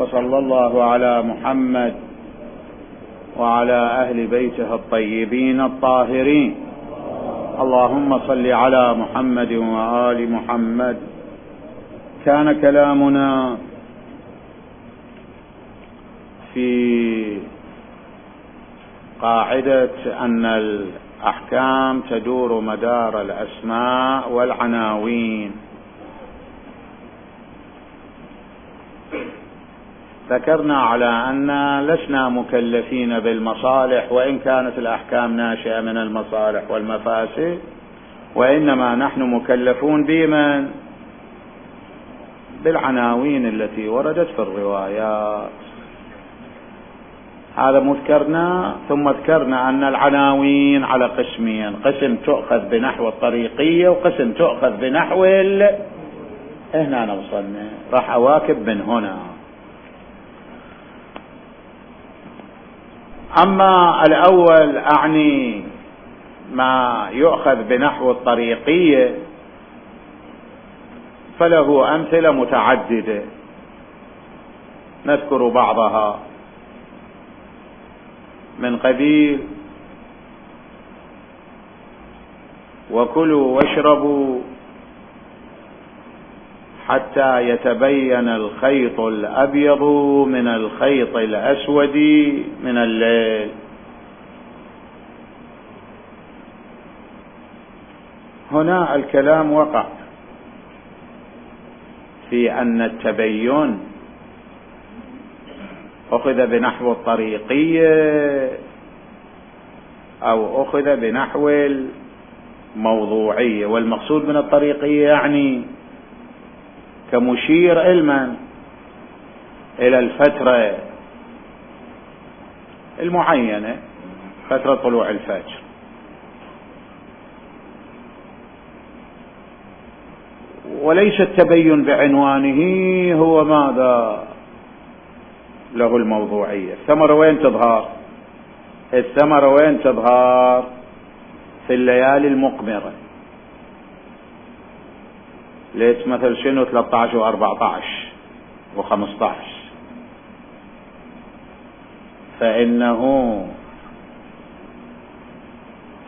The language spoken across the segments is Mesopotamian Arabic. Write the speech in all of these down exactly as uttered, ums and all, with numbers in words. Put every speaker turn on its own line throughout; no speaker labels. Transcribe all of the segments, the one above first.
وصلى الله على محمد وعلى أهل بيته الطيبين الطاهرين. اللهم صل على محمد وآل محمد. كان كلامنا في قاعدة أن الأحكام تدور مدار الأسماء والعناوين. ذكرنا على أن لسنا مكلفين بالمصالح، وإن كانت الأحكام ناشئة من المصالح والمفاسد، وإنما نحن مكلفون بمن؟ بالعناوين التي وردت في الروايات. هذا مذكرنا. ثم ذكرنا أن العناوين على قسمين: قسم تؤخذ بنحو الطريقية، وقسم تؤخذ بنحو ال... هنا نوصلنا، راح أواكب من هنا. أما الأول أعني ما يؤخذ بنحو الطريقية فله أمثلة متعددة نذكر بعضها، من قبيل وكلوا واشربوا حتى يتبين الخيط الأبيض من الخيط الأسود من الليل. هنا الكلام وقع في أن التبين أخذ بنحو الطريقية أو أخذ بنحو الموضوعية. والمقصود من الطريقية يعني كمشير علما إلى الفترة المعينة، فترة طلوع الفجر. وليس التبين بعنوانه هو ماذا له الموضوعية. الثمرة وين تظهر؟ الثمرة وين تظهر؟ في الليالي المقمرة. ليش مثل شنو ثلاثة عشر وأربعة عشر وخمسة عشر؟ فإنه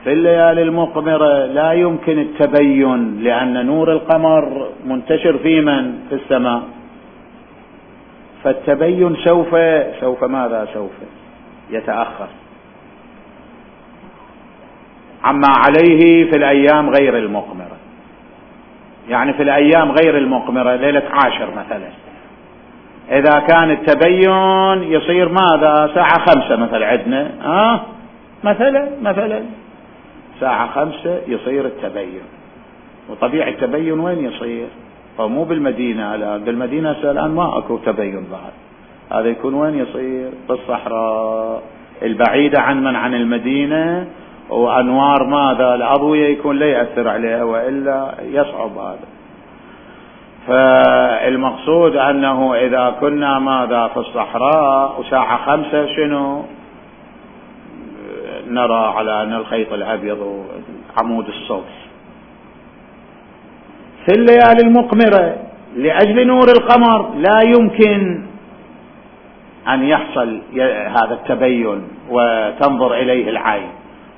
في الليالي المقمرة لا يمكن التبين، لأن نور القمر منتشر في من؟ في السماء. فالتبين سوف سوف ماذا سوف يتأخر عما عليه في الأيام غير المقمرة. يعني في الأيام غير المقمرة ليلة عاشر مثلا، إذا كان التبين يصير ماذا؟ ساعة خمسة مثلا عندنا، آه مثلا مثلا ساعة خمسة يصير التبين. وطبيعي التبين وين يصير؟ فمو بالمدينة الآن، بالمدينة الآن ما أكو تبين بعد. هذا يكون وين يصير؟ في الصحراء البعيدة عن من عن المدينة، وأنوار ماذا؟ الأضوية يكون لا يأثر عليها، وإلا يصعب هذا. فالمقصود أنه إذا كنا ماذا في الصحراء وساعة خمسة شنو نرى على أن الخيط الأبيض عمود الصوت. في الليالي المقمرة لأجل نور القمر لا يمكن أن يحصل هذا التبين وتنظر إليه العين،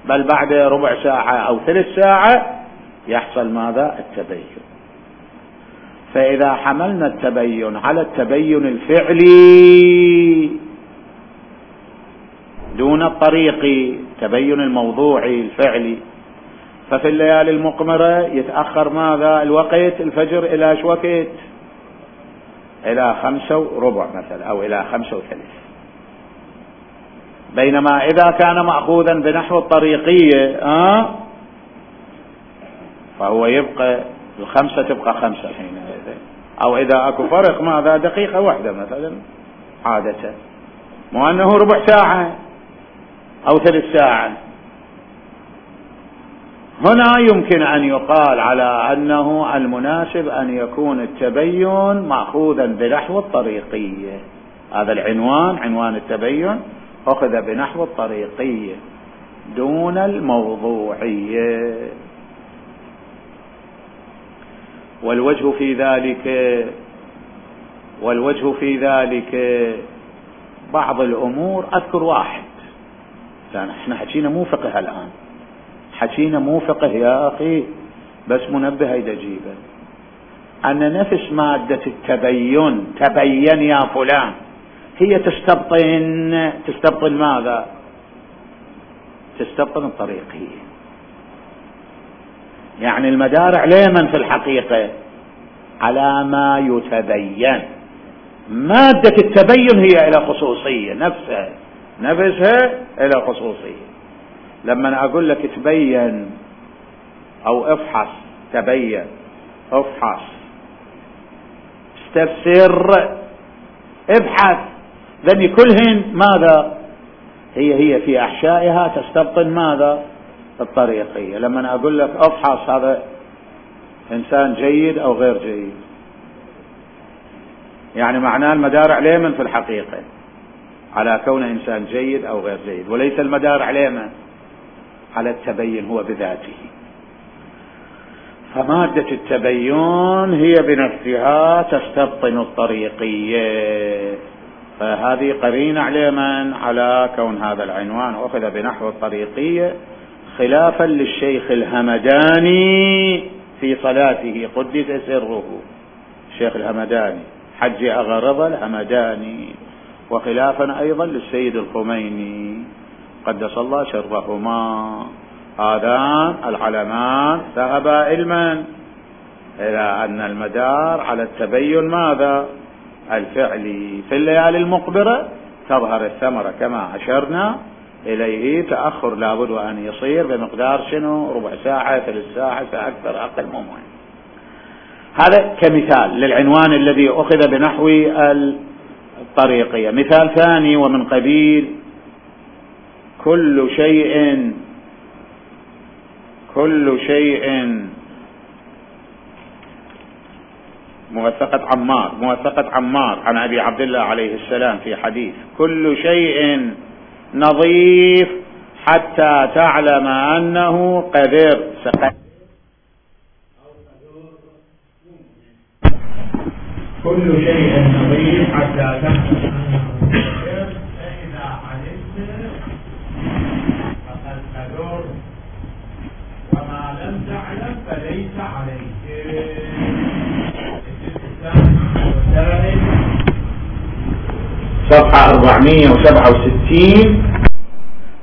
بل بعد ربع ساعة أو ثلث ساعة يحصل ماذا؟ التبين. فإذا حملنا التبين على التبين الفعلي دون الطريقي، تبين الموضوعي الفعلي، ففي الليالي المقمرة يتأخر ماذا؟ الوقت الفجر إلى شو وقت؟ إلى خمسة وربع مثلا، أو إلى خمسة وثلث. بينما إذا كان مأخوذا بنحو الطريقية آه فهو يبقى الخمسة تبقى خمسة حينئذ، أو إذا أكو فرق ماذا؟ دقيقة واحدة مثلا عادة، مو أنه ربع ساعة أو ثلث ساعة. هنا يمكن أن يقال على أنه المناسب أن يكون التبين مأخوذا بنحو الطريقية. هذا العنوان، عنوان التبين، أخذ بنحو الطريقية دون الموضوعية. والوجه في ذلك والوجه في ذلك بعض الأمور. أذكر واحد، لأن احنا حكينا مو فقه الآن، حكينا مو فقه يا أخي، بس منبه هيدا جيبه، أن نفس مادة التبين، تبين يا فلان، هي تستبطن تستبطن ماذا؟ تستبطن الطريقية. يعني المدار على من في الحقيقة؟ على ما يتبين. مادة التبين هي إلى خصوصية، نفسها نفسها إلى خصوصية. لما أقول لك تبين أو افحص، تبين، افحص، استفسر، ابحث، ذني كلهن ماذا؟ هي هي في أحشائها تستبطن ماذا؟ الطريقية. لما أقول لك افحص هذا إنسان جيد أو غير جيد، يعني معناه المدار عليه من في الحقيقة على كون إنسان جيد أو غير جيد، وليس المدار عليه من على التبين هو بذاته. فمادة التبين هي بنفسها تستبطن الطريقية، فهذه قرينة على من؟ على كون هذا العنوان أخذ بنحو الطريقية، خلافا للشيخ الهمداني في صلاته قدس سره. الشيخ الهمداني حج أغرض الهمداني، وخلافا أيضا للسيد الخميني قدس الله شرفهما. هذان العلمان ذهبا علما إلى أن المدار على التبين ماذا؟ الفعلي. في الليالي المقبرة تظهر الثمرة كما أشرنا إليه، تأخر لابد أن يصير بمقدار شنو؟ ربع ساعة، ثلث ساعة، فأكثر أقل مو مهم. هذا كمثال للعنوان الذي أخذ بنحو الطريقية. مثال ثاني ومن قبيل كل شيء كل شيء موثقة عمار موثقة عمار عن أبي عبد الله عليه السلام في حديث: كل شيء نظيف حتى تعلم أنه قدر. كل شيء نظيف حتى تعلم أنه قدر، فإذا علمت فقد قدر، وما لم تعلم فليس عليك. صفحة أربعمائة وسبعة وستين،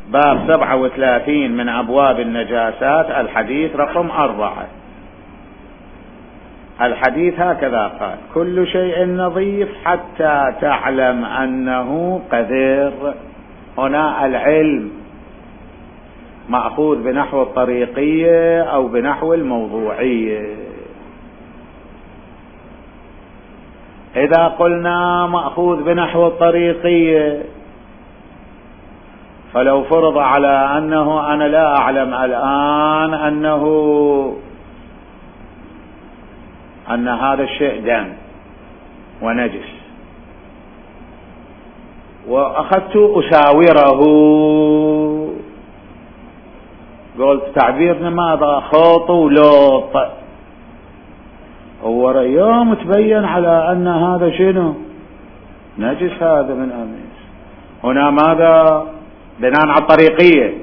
باب سبعة وثلاثين من أبواب النجاسات، الحديث رقم أربعة. الحديث هكذا قال: كل شيء نظيف حتى تعلم أنه قذر. هنا العلم مأخوذ بنحو الطريقية أو بنحو الموضوعية. إذا قلنا مأخوذ بنحو الطريقية، فلو فرض على أنه أنا لا أعلم الآن أنه أن هذا الشيء دم ونجس، وأخذت أساوره، قلت تعبيرنا ماذا؟ خوط ولوط، هو يوم تبين على أن هذا شنو؟ نجس، هذا من أمس. هنا ماذا؟ بناء على الطريقية،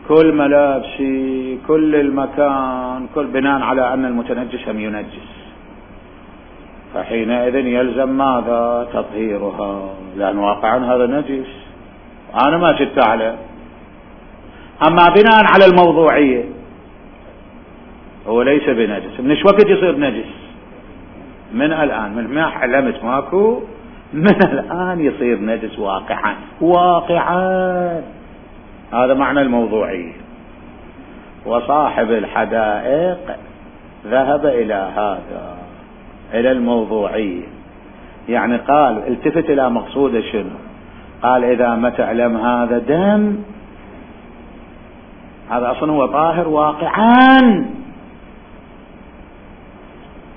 كل ملابسي، كل المكان، كل بناء على أن المتنجس هم ينجس، فحينئذ يلزم ماذا؟ تطهيرها، لأن واقعا هذا نجس أنا ما شدت عليه. أما بناء على الموضوعية هو ليس بنجس. من ايش وقت يصير نجس؟ من الآن، من ما علمت ماكو، من الآن يصير نجس واقعا واقعا. هذا معنى الموضوعية. وصاحب الحدائق ذهب إلى هذا، إلى الموضوعية، يعني قال التفت إلى مقصود شنو؟ قال إذا ما تعلم هذا دم، هذا أصلا هو طاهر واقعا،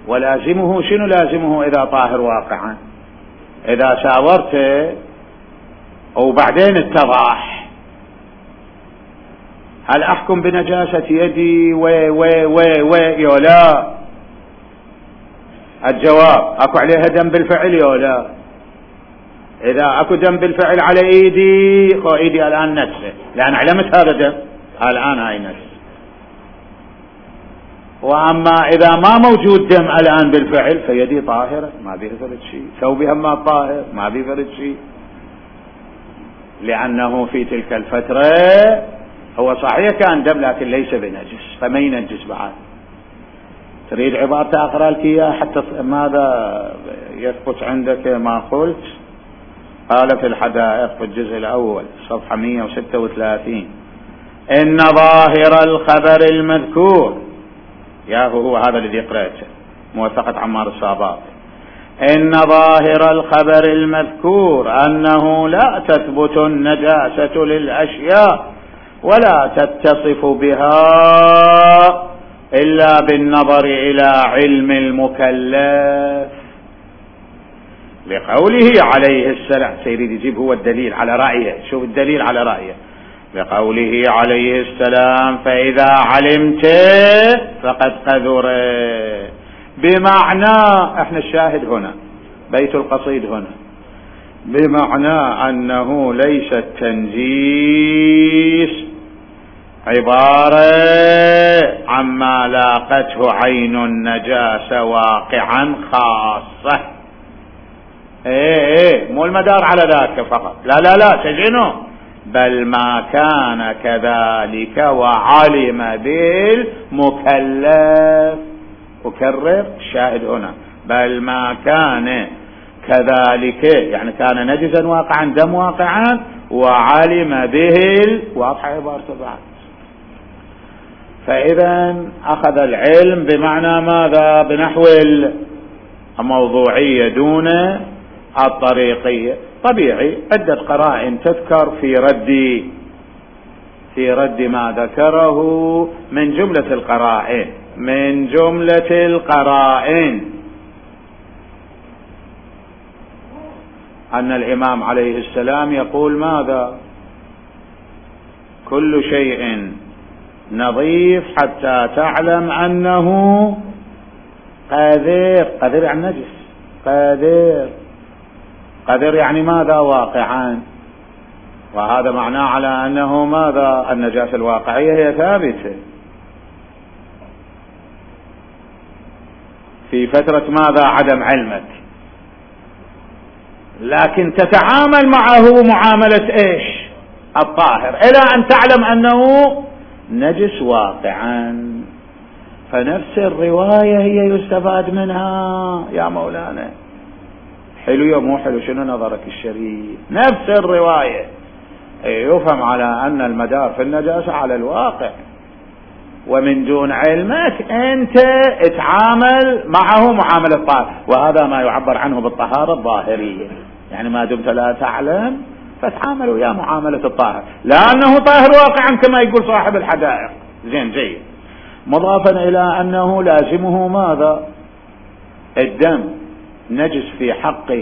ولازمه شنو؟ لازمه إذا طاهر واقعا إذا ساورته وبعدين اتضح، هل أحكم بنجاسة يدي و و و و يا لا؟ الجواب اكو عليها دم بالفعل يا لا؟ اذا اكو دم بالفعل على ايدي، خو ايدي الان نجسة لان علمت هذا دم، الان هاي نجس. واما اذا ما موجود دم الان بالفعل فيدي طاهرة ما بيها فرد شيء، ثوبي هم طاهر ما بيه فرد شيء، لانه في تلك الفترة هو صحيح كان دم لكن ليس بنجس فما ينجس بعد. تريد عبارة اقرأ لك اياها حتى ماذا يثبت عندك ما قلت؟ قال في الحدائق في الجزء الاول صفحة مئة وستة وثلاثين: ان ظاهر الخبر المذكور، يا هو هذا الذي قرأته موثقة عمار الصاباط، ان ظاهر الخبر المذكور انه لا تثبت النجاسة للاشياء ولا تتصف بها الا بالنظر الى علم المكلف، لقوله عليه السلام. سيريد يجيب هو الدليل على رأيه، شوف الدليل على رأيه، لقوله عليه السلام: فإذا علمت فقد قذر، بمعنى احنا الشاهد هنا بيت القصيد هنا، بمعنى انه ليس التنجيس عبارة عما لاقته عين النجاسة واقعا خاصة، ايه ايه مو المدار على ذاك فقط، لا لا لا سجنه، بل ما كان كذلك وعلم بالمكلف. أكرر الشاهد هنا، بل ما كان كذلك يعني كان نجسا واقعا دم واقعا وعلم به، واضحة عبارته بعد. فإذا أخذ العلم بمعنى ماذا؟ بنحو الموضوعية دون الطريقية. طبيعي عدة قرائن تذكر في رد في رد ما ذكره، من جملة القرائن من جملة القرائن أن الإمام عليه السلام يقول ماذا؟ كل شيء نظيف حتى تعلم أنه قذر. قذر يعني نجس، قذر قذر يعني ماذا؟ واقعا. وهذا معناه على أنه ماذا؟ النجاسة الواقعية هي ثابتة في فترة ماذا؟ عدم علمك، لكن تتعامل معه معاملة ايش؟ الطاهر، الى ان تعلم انه نجس واقعا. فنفس الرواية هي يستفاد منها يا مولانا. حلو يا مو حلو؟ شنو نظرك الشريف؟ نفس الرواية يفهم على ان المدار في النجاسة على الواقع، ومن دون علمك انت اتعامل معه معاملة الطاهر، وهذا ما يعبر عنه بالطهارة الظاهرية، يعني ما دمت لا تعلم فتعامل ويا معاملة الطاهر، لأنه طاهر واقعا كما يقول صاحب الحدائق. زين جيد. مضافا إلى أنه لازمه ماذا؟ الدم نجس في حق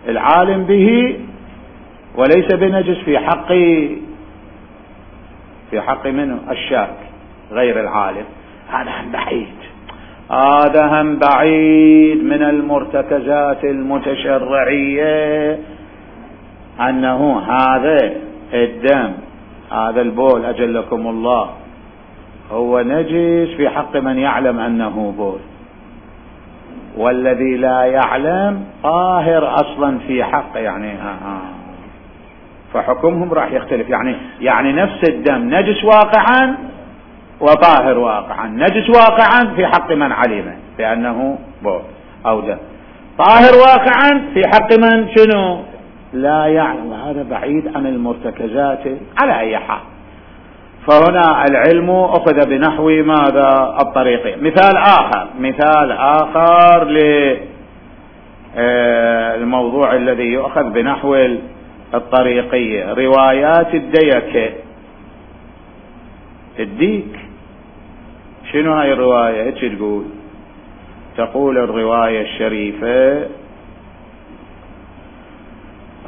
العالم به وليس بنجس في حق في حق منه الشاك غير العالم. هذا هم بعيد، هذا هم بعيد من المرتكزات المتشرعية، أنه هذا الدم هذا البول أجلكم الله هو نجس في حق من يعلم أنه بول، والذي لا يعلم طاهر أصلا في حق، يعني آه آه. فحكمهم راح يختلف، يعني يعني نفس الدم نجس واقعا وطاهر واقعا، نجس واقعا في حق من علم بأنه بول أو دم، طاهر واقعا في حق من شنو؟ لا يعلم. هذا بعيد عن المرتكزات على أي حال. فهنا العلم أخذ بنحو ماذا؟ الطريقية. مثال آخر مثال آخر للموضوع الذي يؤخذ بنحو الطريقية، روايات الديك. الديك شنو هاي الرواية؟ ايش تقول؟ تقول الرواية الشريفة،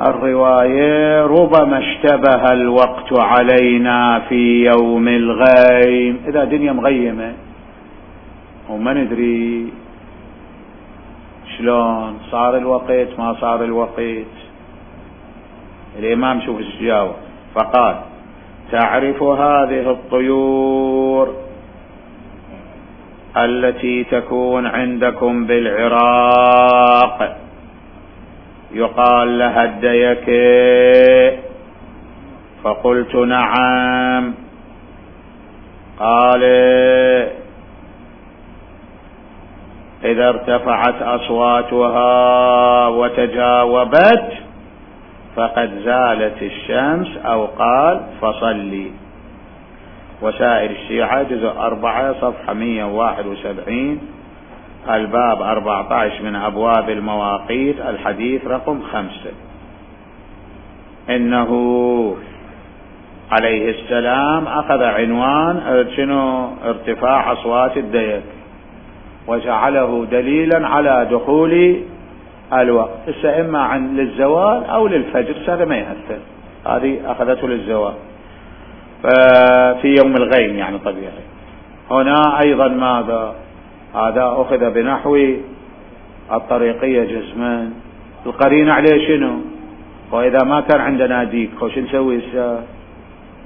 الرواية: ربما اشتبه الوقت علينا في يوم الغيم. إذا دنيا مغيمة وما ندري شلون صار الوقت ما صار الوقت؟ الإمام شوف ايش جاوب، فقال تعرف هذه الطيور التي تكون عندكم بالعراق يقال لها الديكة؟ فقلت نعم. قال إذا ارتفعت أصواتها وتجاوبت فقد زالت الشمس، أو قال فصلي. وسائر الشيعة جزء أربعة صفحة مئة وواحد وسبعين، الباب أربعة عشر من أبواب المواقيت، الحديث رقم خمسة. إنه عليه السلام أخذ عنوان شنو؟ ارتفاع أصوات الديك، وجعله دليلا على دخول الوقت. هسه إما عن للزوال أو للفجر، هذا ما يأثر، هذه أخذته للزوال في يوم الغيم يعني طبيعي. هنا أيضا ماذا؟ هذا أخذ بنحو الطريقية جسما، القرينة عليه شنو؟ وإذا ما كان عندنا ديك خوش نسوي؟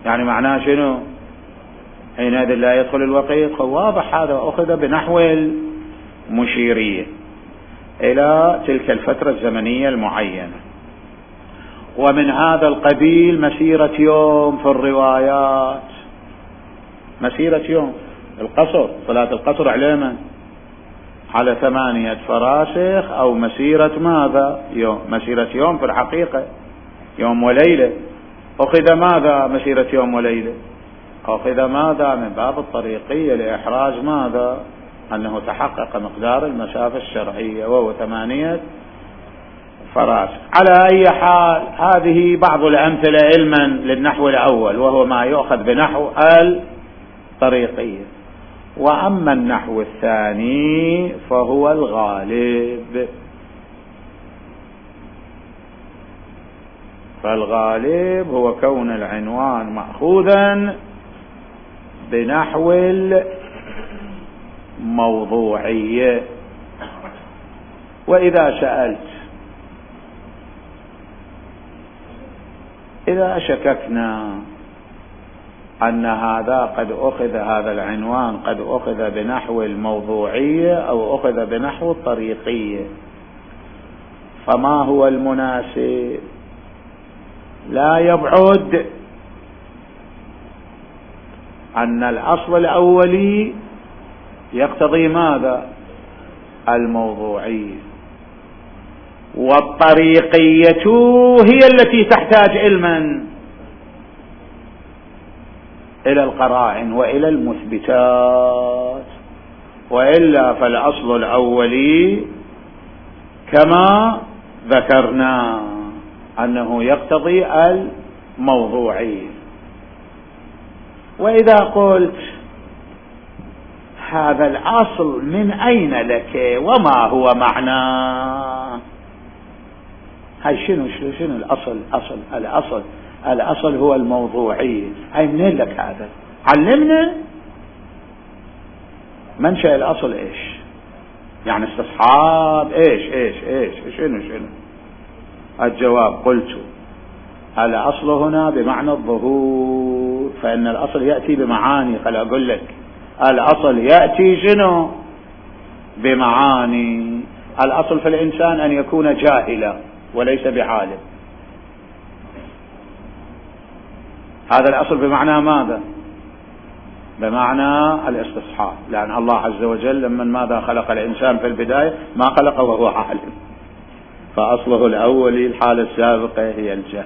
يعني معناه شنو؟ حينئذ لا يدخل الوقت. واضح هذا أخذ بنحو المشيرية إلى تلك الفترة الزمنية المعينة. ومن هذا القبيل مسيرة يوم في الروايات، مسيرة يوم القصر، صلاة القصر على من؟ على ثمانية فراسخ، أو مسيرة ماذا؟ يوم، مسيرة يوم في الحقيقة يوم وليلة. أخذ ماذا؟ مسيرة يوم وليلة. أخذ ماذا؟ من باب الطريقية لإحراز ماذا؟ أنه تحقق مقدار المسافة الشرعية وهو ثمانية فراسخ. على أي حال هذه بعض الأمثلة علما للنحو الأول، وهو ما يؤخذ بنحو الطريقية. وأما النحو الثاني فهو الغالب، فالغالب هو كون العنوان مأخوذا بنحو الموضوعية. وإذا سألت إذا شككنا أن هذا قد أخذ، هذا العنوان قد أخذ بنحو الموضوعية أو أخذ بنحو الطريقية، فما هو المناسب؟ لا يبعد أن الأصل الأولي يقتضي ماذا؟ الموضوعية، والطريقية هي التي تحتاج علما إلى القرائن وإلى المثبتات، وإلا فالأصل الأولي كما ذكرنا أنه يقتضي الموضوعية. وإذا قلت هذا الأصل من أين لك وما هو معناه؟ هاي شنو شنو الأصل؟ أصل الأصل الأصل هو الموضوعية. هاي منين لك هذا؟ علمنا منشأ الأصل إيش؟ يعني استصحاب إيش إيش إيش شنو شنو؟ الجواب قلت الأصل هنا بمعنى الظهور، فإن الأصل يأتي بمعاني. خل أقول لك الأصل يأتي شنو؟ بمعاني. الأصل في الإنسان أن يكون جاهلا وليس بعالم، هذا الأصل بمعنى ماذا؟ بمعنى الاستصحاب، لأن الله عز وجل لما ماذا خلق الإنسان في البداية ما خلقه وهو عالم، فأصله الأولي الحالة السابقة هي الجهل،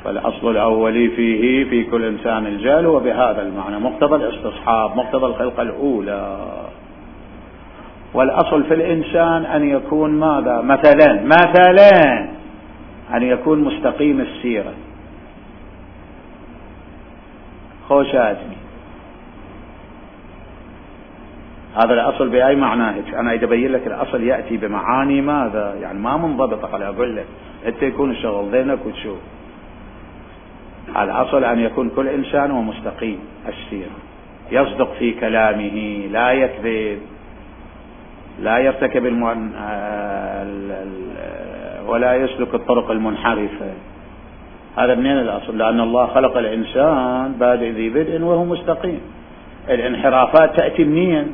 فالأصل الأولي فيه في كل إنسان الجهل، وبهذا المعنى مقتضى الاستصحاب، مقتضى الخلقة الأولى. والأصل في الإنسان أن يكون ماذا؟ مثلا مثلا أن يكون مستقيم السيرة. خوش آدمي، هذا الأصل بأي معناه؟ أنا إذا أبين لك الأصل يأتي بمعاني ماذا؟ يعني ما منضبطة. خلي أقول لك أنت يكون الشغل ذهنك وتشوف. الأصل أن يكون كل إنسان هو مستقيم السيرة، يصدق في كلامه، لا يكذب، لا يرتكب المن... ولا يسلك الطرق المنحرفة. هذا منين الأصل؟ لأن الله خلق الإنسان بادئ ذي بدء وهو مستقيم. الانحرافات تأتي منين؟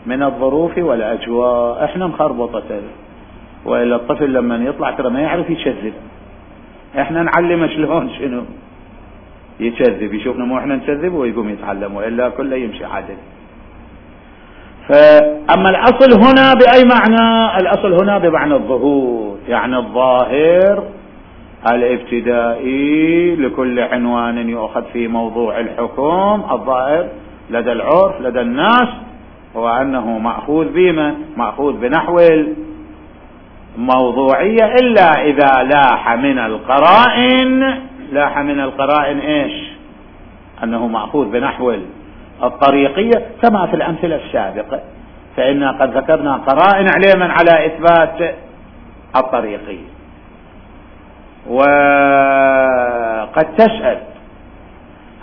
من الظروف والأجواء. احنا مخربطة، وإلا الطفل لما يطلع ترى ما يعرف يكذب، احنا نعلم شلون شنو يكذب، يشوفنا مو احنا نكذب ويقوم يتعلم، وإلا كله يمشي عادل. فأما الأصل هنا بأي معنى؟ الأصل هنا بمعنى الظهور، يعني الظاهر الابتدائي لكل عنوان يؤخذ في موضوع الحكم. الظاهر لدى العرف لدى الناس هو أنه مأخوذ بما مأخوذ بنحو الموضوعية، إلا إذا لاح من القرائن لاح من القرائن إيش؟ أنه مأخوذ بنحو الطريقية، كما في الأمثلة السابقة، فإنا قد ذكرنا قرائن علما على إثبات الطريقية. وقد تسأل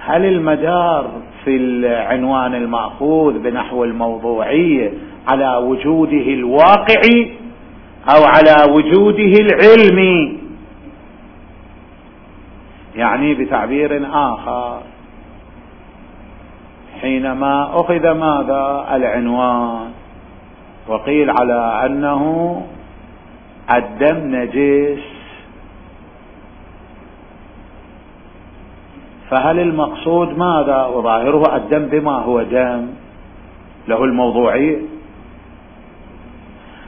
هل المدار في العنوان المأخوذ بنحو الموضوعية على وجوده الواقعي أو على وجوده العلمي؟ يعني بتعبير آخر، حينما أخذ ماذا؟ العنوان، وقيل على أنه الدم نجس، فهل المقصود ماذا؟ وظاهره الدم بما هو دم له الموضوعية.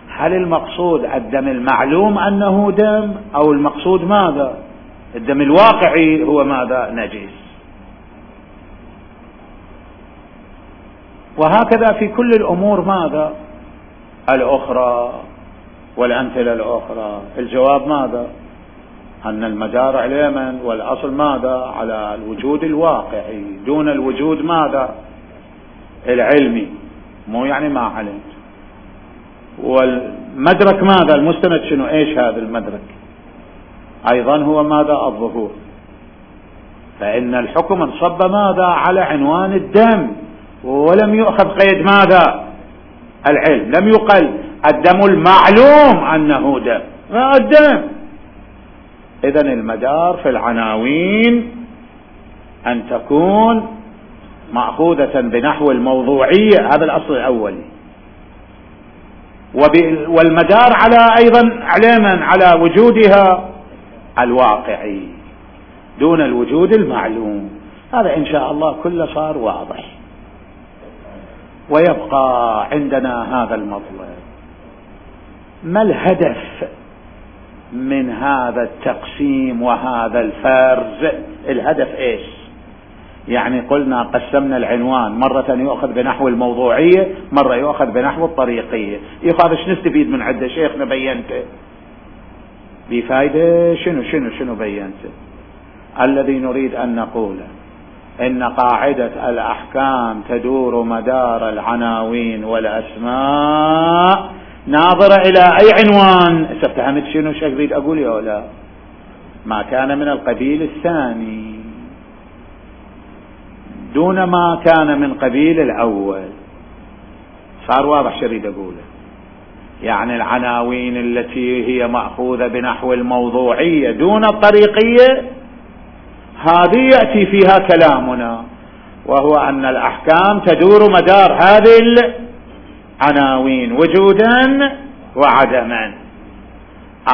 هل المقصود الدم المعلوم أنه دم، أو المقصود ماذا؟ الدم الواقعي هو ماذا؟ نجس. وهكذا في كل الأمور ماذا؟ الأخرى والأمثلة الأخرى. الجواب ماذا؟ أن المدار علما والأصل ماذا؟ على الوجود الواقعي دون الوجود ماذا؟ العلمي، مو يعني ما علمت. والمدرك ماذا؟ المستند شنو؟ ايش هذا المدرك؟ ايضا هو ماذا؟ الظهور. فإن الحكم انصب ماذا؟ على عنوان الدم، ولم يؤخذ قيد ماذا؟ العلم. لم يقل الدم المعلوم أنه دم، الدم. إذن المدار في العناوين أن تكون مأخوذة بنحو الموضوعية، هذا الأصل الأولي. والمدار على أيضا علما على وجودها الواقعي دون الوجود المعلوم. هذا إن شاء الله كله صار واضح. ويبقى عندنا هذا المطلب: ما الهدف من هذا التقسيم وهذا الفرز؟ الهدف ايش؟ يعني قلنا قسمنا العنوان، مرة يؤخذ بنحو الموضوعية، مرة يؤخذ بنحو الطريقية. يقال ايش نستفيد من عدة؟ شيخنا بينته بفايدة شنو شنو شنو بينته؟ الذي نريد أن نقوله إن قاعدة الأحكام تدور مدار العناوين والأسماء ناظرة إلى أي عنوان. استفهمت شنو شو أريد أقول يا ولا؟ ما كان من القبيل الثاني دون ما كان من قبيل الأول. صار واضح شو أريد أقوله؟ يعني العناوين التي هي مأخوذة بنحو الموضوعية دون الطريقية، هذه يأتي فيها كلامنا، وهو أن الأحكام تدور مدار هذه العناوين وجودا وعدما.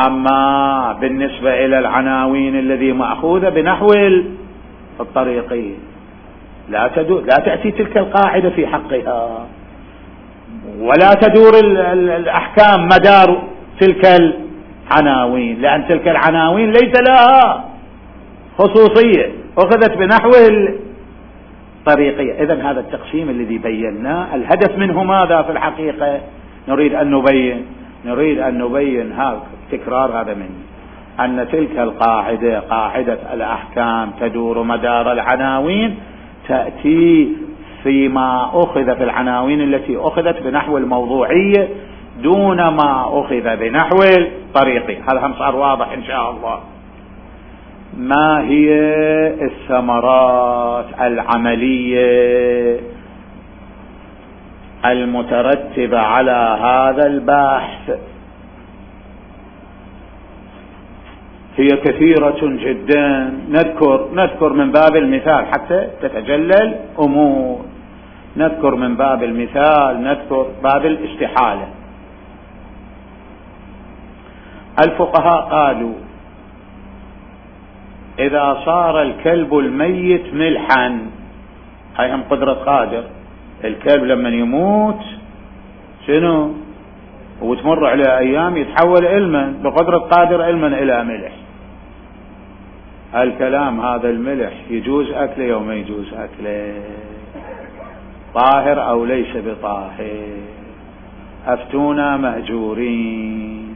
أما بالنسبة إلى العناوين الذي مأخوذة بنحو الطريقية لا تدور، لا تأتي تلك القاعدة في حقها، ولا تدور الأحكام مدار تلك العناوين، لأن تلك العناوين ليس لها خصوصية، أخذت بنحو الطريقية. إذن هذا التقسيم الذي بيناه الهدف منه ماذا في الحقيقة؟ نريد أن نبين نريد أن نبين هذا تكرار هذا منه، أن تلك القاعدة قاعدة الأحكام تدور مدار العناوين تأتي فيما أخذ في العناوين التي أخذت بنحو الموضوعية دون ما أخذ بنحو الطريقية. هذا هم صار واضح إن شاء الله. ما هي الثمرات العملية المترتبة على هذا البحث هي كثيرة جدا. نذكر نذكر من باب المثال حتى تتجلى الأمور. نذكر من باب المثال، نذكر باب الاستحالة. الفقهاء قالوا إذا صار الكلب الميت ملحا، هاي هم قدرة قادر. الكلب لما يموت شنو وتمر على أيام يتحول علما بقدرة قادر علما إلى ملح. الكلام هذا الملح يجوز أكله يوم ما يجوز أكله، طاهر أو ليس بطاهر؟ أفتونا مهجورين،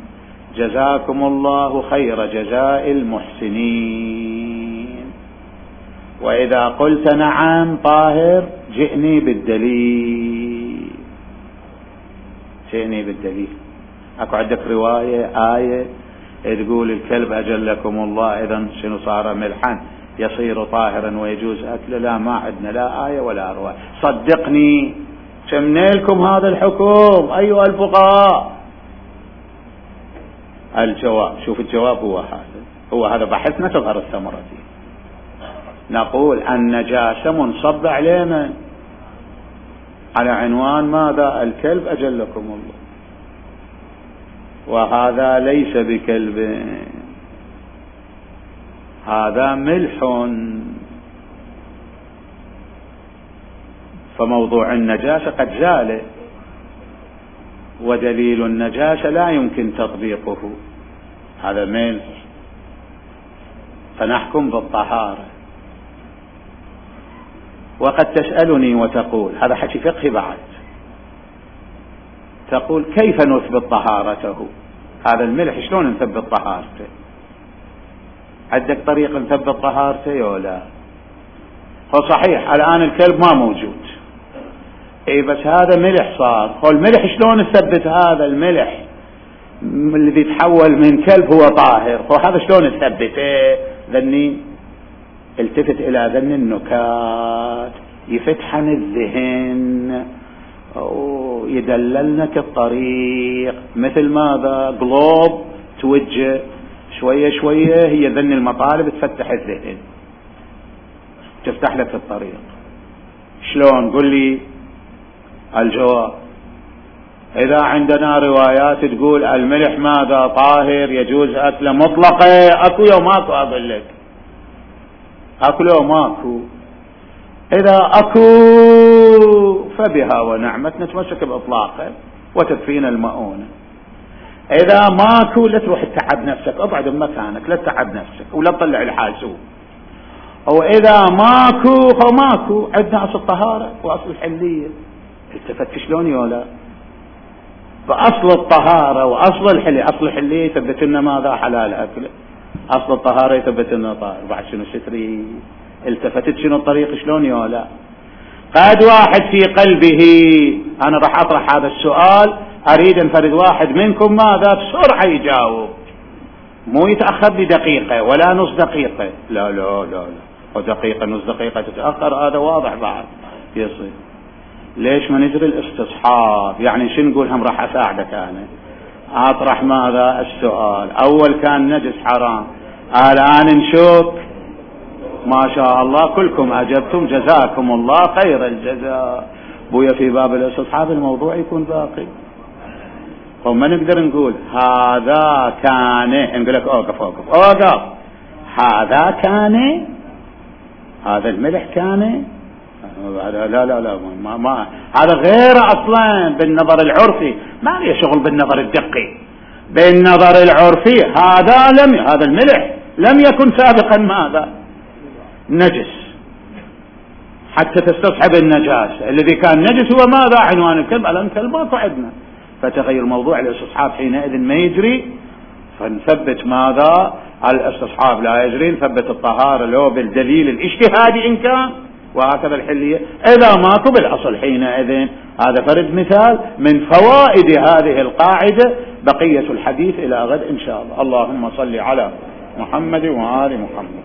جزاكم الله خير جزاء المحسنين. وإذا قلت نعم طاهر جئني بالدليل، جئني بالدليل. أكو عندك رواية آية تقول الكلب أجلكم الله إذا شنو صار ملحا يصير طاهرا ويجوز أكله؟ لا، ما عندنا لا آية ولا رواية. صدقني شمنا لكم هذا الحكم أيها الفقهاء. الجواب، شوف الجواب هو هذا، هو هذا بحثنا تظهر الثمرة فيه. نقول النجاسة منصب عليه من؟ على عنوان ماذا؟ الكلب أجلكم الله، وهذا ليس بكلب، هذا ملح. فموضوع النجاسة قد زال، ودليل النجاسة لا يمكن تطبيقه، هذا ملح، فنحكم بالطهارة. وقد تسألني وتقول، هذا حكي فقهي بعد، تقول كيف نثبت طهارته؟ هذا الملح شلون نثبت طهارته؟ عندك طريق نثبت طهارته ولا لا؟ هو صحيح الآن الكلب ما موجود، اي بس هذا ملح صار. هو الملح شلون نثبت هذا الملح الذي تحول من كلب هو طاهر؟ هو هذا شلون نثبته؟ ذني التفت الى ذن النكات يفتحن الذهن ويدللنك الطريق، مثل ماذا؟ قلوب توجه شوية شوية، هي ذن المطالب تفتح الذهن تفتح لك الطريق. شلون؟ قل لي الجواب. إذا عندنا روايات تقول الملح ماذا؟ طاهر يجوز أكله مطلقة، أكو يوم ماكو، أقول لك أكو يوم ماكو. إذا أكو فبها ونعمت نتمسك بإطلاقه وتكفينا المؤونة. إذا ماكو لا تروح تتعب نفسك، اقعد بمكانك لا تتعب نفسك ولا تطلع الحاسوب. وإذا ماكو فماكو. عندنا أصل الطهارة وأصل الحلية، التفت شلون يولا؟ فأصل الطهارة وأصل الحلية، أصل الحلية يثبت لنا ماذا؟ حلال أكله. أصل الطهارة يثبت لنا طاهر. بعد شنو ستري؟ التفتت شنو الطريق شلون يولا؟ قد واحد في قلبه، أنا راح أطرح هذا السؤال، أريد أن فرد واحد منكم ماذا بسرعة يجاوب، مو يتأخر بدقيقة ولا نص دقيقة، لا لا لا لا، ودقيقة نص دقيقة تتأخر هذا واضح بعد يصير. ليش ما نجري الاستصحاب؟ يعني شو نقول؟ هم راح أساعدك أنا أطرح ماذا السؤال. أول كان نجس حرام، الآن نشوف ما شاء الله كلكم أجبتم جزاكم الله خير الجزاء. بويا في باب الاستصحاب الموضوع يكون باقي، وما نقدر نقول هذا كان، نقول لك اوقف اوقف اوقف هذا كان، هذا الملح كان، لا لا لا ما, ما هذا غير اصلا بالنظر العرفي، ما له شغل بالنظر الدقي. بالنظر العرفي هذا لم هذا الملح لم يكن سابقا ماذا؟ نجس، حتى تستصحب النجاسة. الذي كان نجس هو ماذا؟ عنوان الكلب. الان الكلب ماكو عندنا، فتغير موضوع الاستصحاب حينئذ ما يجري، فنثبت ماذا؟ الاستصحاب لا يجري، نثبت الطهارة لو بالدليل الاجتهادي إن كان، وهكذا الحلية إذا ماكو بالأصل حينئذ. هذا فرد مثال من فوائد هذه القاعدة. بقية الحديث إلى غد إن شاء الله. اللهم صل على محمد وآل محمد.